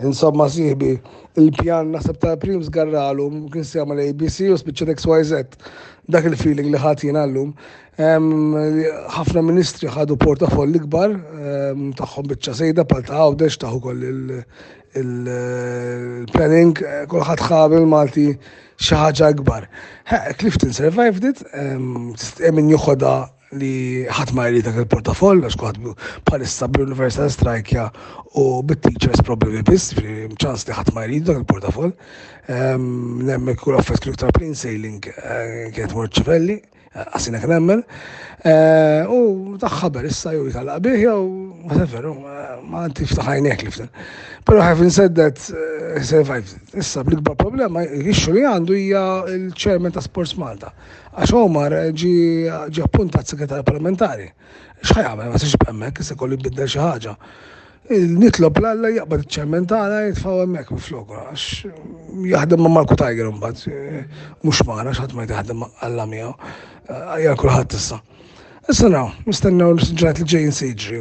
Insomma sieħbi, il-pjan naħseb ta' Prim żgarralu kien se jagħmel ABC u spiċċat XYZ. Dak il-feeling li ħadd jiena llum. Ħafna ministri ħadu portafoll ikbar tagħhom biċċa sejda bħal ta' Għawdex taħu koll il-planning, kulħadd ħa bil-Malti xi ħaġa ikbar. Clifton survived it, min joħodha li ħadd ma jrid dak il-portafoll għax kulħadd bħalissa bl-Universal Strike u bit-teachers problemi biss, ċans li ħadd ma jrid dak il-portafoll. Nemmen kull affett kienu iktar plain sailing eh, kienet mor ċivelli, għasina kien nemmen. Eh, u taħħaber issa jew jitalaq bih jew whatever, eh, ma tiftaħ għajnek li ften. Però having said that, survived. Issa bl-ikbar problema, issue li għandu hija il-chairman ta' Sports Malta. Għax Omar ġie ġie appuntat segretarju parlamentari. X'ħa jagħmel ma siex hemmhekk, issa kollu jbiddel xi ħaġa. Nitlob l-Alla jaqbad iċ-chairman tagħna jitfgħu hemmhekk minfloku għax jaħdem ma' Marku Tiger imbagħad mhux magħna x'ħadd ma jaħdem Alla miegħu. Għajja kulħadd issa. Issa naraw, nistennew l-ġranet li ġejjin se jiġri.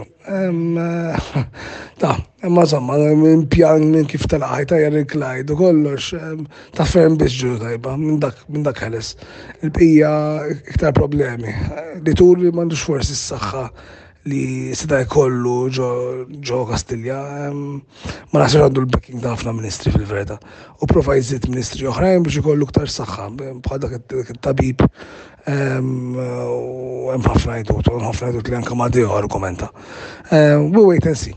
Ta, imma insomma, minn pjan minn kif telaq tajjar il-Clyde u kollox, ta' ferm biex ġuru tajba, minn dak minn dak ħeles. Il-bqija iktar problemi. Li tur li m'għandux forsi s-saħħa li seta' jkollu ġo Kastilja, ma naħsibx għandu l-backing ta' ħafna ministri fil-verità. U prova jżid ministri oħrajn biex ikollu iktar saħħa, bħal dak it-tabib U hemm ħafna għidut, u ħafna għidut li anke Madeo argumenta. We wait and see.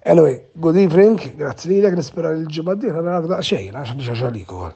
Anyway, good evening, grazzi lilek, nispera li l-ġimgħa d-dieħla narak daqsxejn, għax għandi xi ħaġa għalik ukoll.